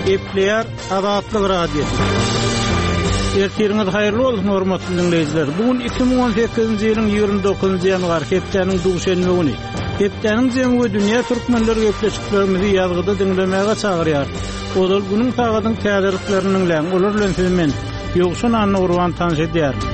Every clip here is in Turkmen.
Gepleýär Azatlyk Radiosy. Ertiriňiz haýyrly bolsun, hormatly diňleýjiler! Bu gün 2018-nji ýylyň 29-njy ýanwary, hepdäniň duşenbe güni. Hepdäniň jemi we dünýä türkmenleri gepleşiklerimizi ýazgyda diňlemäge çagyrýar. Ozal günüň sagadyň täzeliklerini diňläň, olar bilen sizi men, Ýowşan Annagurban tanyş edýärin.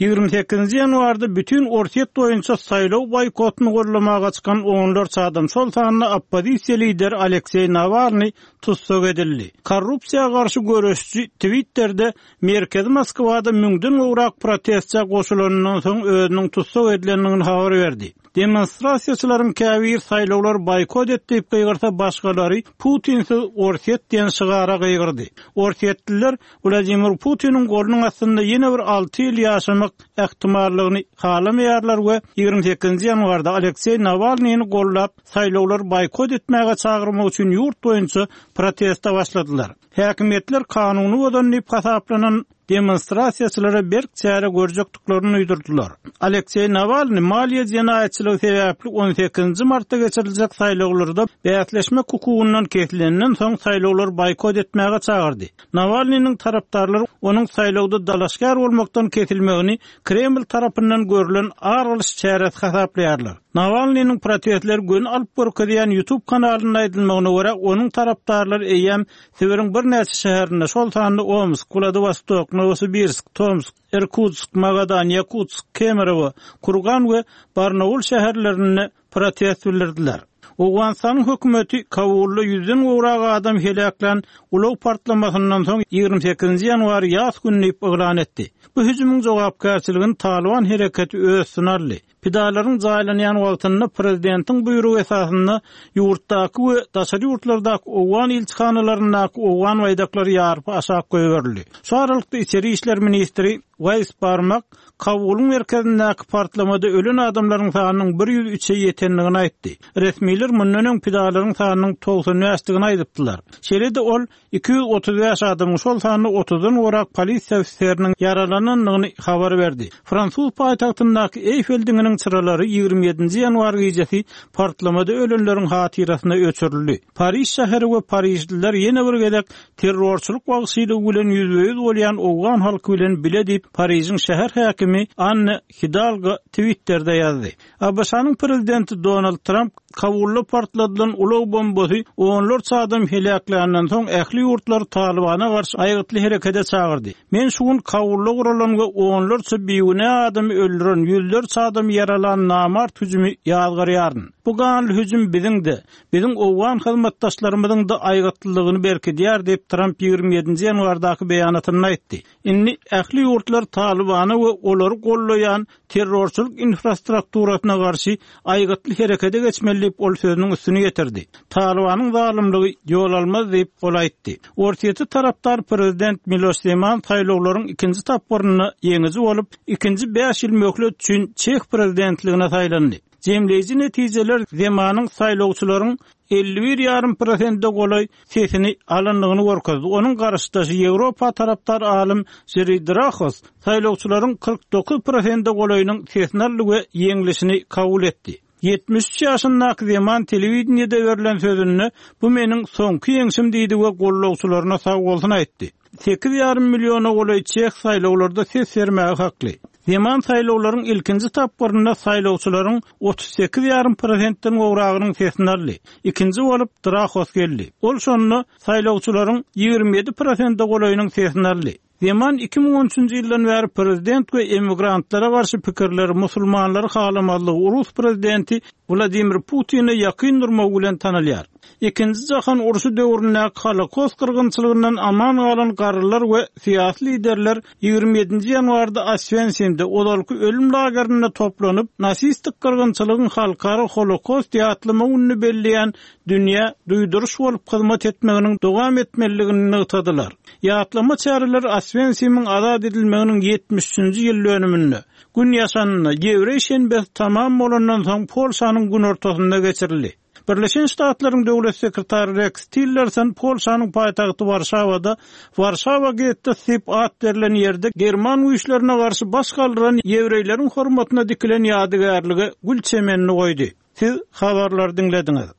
28-nji ýanwarda bütin Orsýet boýunça saýlaw boýkotyny gollamaga çykan onlarça adam, şol sanda oppozisiýa lideri Alekseý Nawalnyý tussag edildi. Korrupsiýa garşy göreşiji Twitterde merkezi Moskwada müňden gowrak protestçä goşulanyndan soň özüniň tussag edilendigini habar berdi. Demonstrasiýaçylaryň käbiri saýlawlary boýkot et diýip gygyrsa, başgalary Putinsiz Orsýet diýen şygara gygyrdy. Orsýetliler Wladimir Putiniň golunyň astynda ýene bir alty ýyl ýaşamak ähtimallygyny halamaýarlar we 28-nji ýanwarda Alekseý Nawalnyny goldap, saýlawlary boýkot etmäge çagyrmak üçin ýurt boýunça proteste başladylar. Häkimiýetler kanuny bozan diýip hasaplanan demonstrasiýaçylara berk çäre görjekdiklerini duýdurdylar. Alekseý Nawalnyý maliýe jenaýatçylygy sebäpli on sekizinji martda geçiriljek saýlawlarda bäsleşmek hukugyndan kesilenden soň saýlawlary boýkot etmäge çagyrdy. Nawalnynyň tarapdarlary onuň saýlawda dalaşgär bolmakdan kesilmegini Kreml tarapyndan görlen ar alyş çäresi hasaplaýarlar. Nawalnynyň protestleri göni alyp görkezýän YouTube kanalynda aýdylmagyna görä, onuň tarapdarlary eýýäm Sibiriň birnäçe şäherinde, şol sanda Omsk, Wladiwostok, Nowosibirsk, Tomsk, Irkutsk, Magadan, Ýakutsk, Kemerowo, Kurgan we Barnaul şäherlerinde protest bildirdiler. Owganystanyň hökümeti Kabulda ýüzden gowrak adam heläklän ulag partlamasyndan soň 28-nji ýanwary ýas güni diýip yglan etdi. Bu hüjümiň jogapkärçiligini Talyban hereketi öz üstüne aldy. Pidalaryň jaýlanýan wagtynda prezidentiň buýrugy esasynda ýurtdaky we daşary ýurtlardaky owgan ilçihanalaryndaky owgan baýdaklary ýarpy aşak goýberildi. Şu aralykda içeri işler ministri Waýs Barmak Kabulyň merkezindäki partlamada ölen adamlaryň sanynyň 103-e ýetendigini aýtdy. Resmiler mundan öň pidalaryň sanynyň 95-digini aýdypdylar. Şeýle-de ol 235 adamyň, şol sanda otuzdan gowrak polisiýa ofiseriniň ýaralanandygyny habar berdi. Fransuz paýtagtyndaky Eýfel diňiniň çyralary 27-nji ýanwar gijesi partlamada ölenleriň hatyrasyna öçürildi. Pariž şäheri we parižliler ýene bir gezek terrorçylyk wagşylygy bilen ýüzbe-ýüz bolýan owgan halky bilen bile diýip, Parižiň şäher häkimi Anne Hidalgo Twitterde ýazdy. ABŞ-nyň prezidenti Donald Tramp Kabulda partladylan ulag bombasy onlarça adam heläkländen soň ähli ýurtlary Talybana garşy aýgytly herekede çagyrdy. Men şu gün Kabulda guralan we onlarça bigünä adamy öldüren, ýüzlerçe adamy ýaralan namart hüjümi ýazgarýaryn. Bu ganly hüjüm biziň-de, biziň owgan hyzmatdaşlarymyzyň-da aýgytlylygyny berkidýär diýip, Tramp 27-nji ýanwardaky beýanatynda aýtdy. Indi ähli ýurtlar Talybana we olary gollaýan terrorçylyk infrastrukturasyna garşy aýgytly herekete geçmeli diýip, ol sözüniň üstüni ýetirdi. Talybanyň zalymlygy ýol almaz diýip, ol aýtdy. Orsýete tarapdar prezident Miloş Zeman saýlawlaryň ikinji tapgyrynda ýeňiji bolup, ikinji bäş ýyl möhlet üçin çeh prezidentligine saýlandy. Jemleýji netijeler Zemanyň saýlawçylaryň 51 ýarym prosente golaý sesini alandygyny görkezdi. Onuň garşydaşy Ýewropa tarapdar alym Jiri Drahos saýlawçylaryň 49 prosente golaýynyň sesini aldy we ýeňlişini kabul etdi. 73 ýaşyndaky Zeman telewideniýede berlen sözünde bu meniň soňky ýeňşim diýdi we gollawçylaryna sagbolsun aýtdy. Sekiz ýarym milliona golaý çeh saýlawlarda ses bermäge hakly. Zeman saýlawlaryň ilkinji tapgyrynda saýlawçylaryň 38 ýarym prosentden gowragynyň sesini aldy. Ikinji bolup Drahos geldi. Ol şonda saýlawçylaryň 27 prosente golaýynyň sesini aldy. Zeman 2013-nji ýyldan bäri prezident we emigrantlara garşy pikirleri, musulmanlary halamazlygy, rus prezidenti Wladimir Putine ýakyn durmagy bilen tanalýar. Ikinji jahan urşy döwründäki Holokost gyrgynçylygyndan aman galan garrylar we syýasy liderler 27-nji ýanwarda Oswensimde, ozalky ölüm lagerinde toplanyp, nasistik gyrgynçylygyň halkara Holokost ýatlama gününi belleýän dünýä duýduryş bolup hyzmat etmeginiň dowam etmelidigini nygtadylar. Ýatlama çäreleri Oswensimiň azat edilmeginiň 73-nji ýyl dönüminde, Gün ýaşanynda, ýewreý şenbesi tamam bolandan soň Polşanyň günortasynda geçirildi. Birleşen Ştatlaryň Döwlet sekretary Reks Tillerson Polşanyň paýtagty Warşawada Warşawa gettosu diýip at berlen ýerde german güýçlerine garşy baş galdyran ýewreýleriň hormatyna dikilen ýadygärlige gül çemenini goýdy. Siz habarlary diňlediňiz.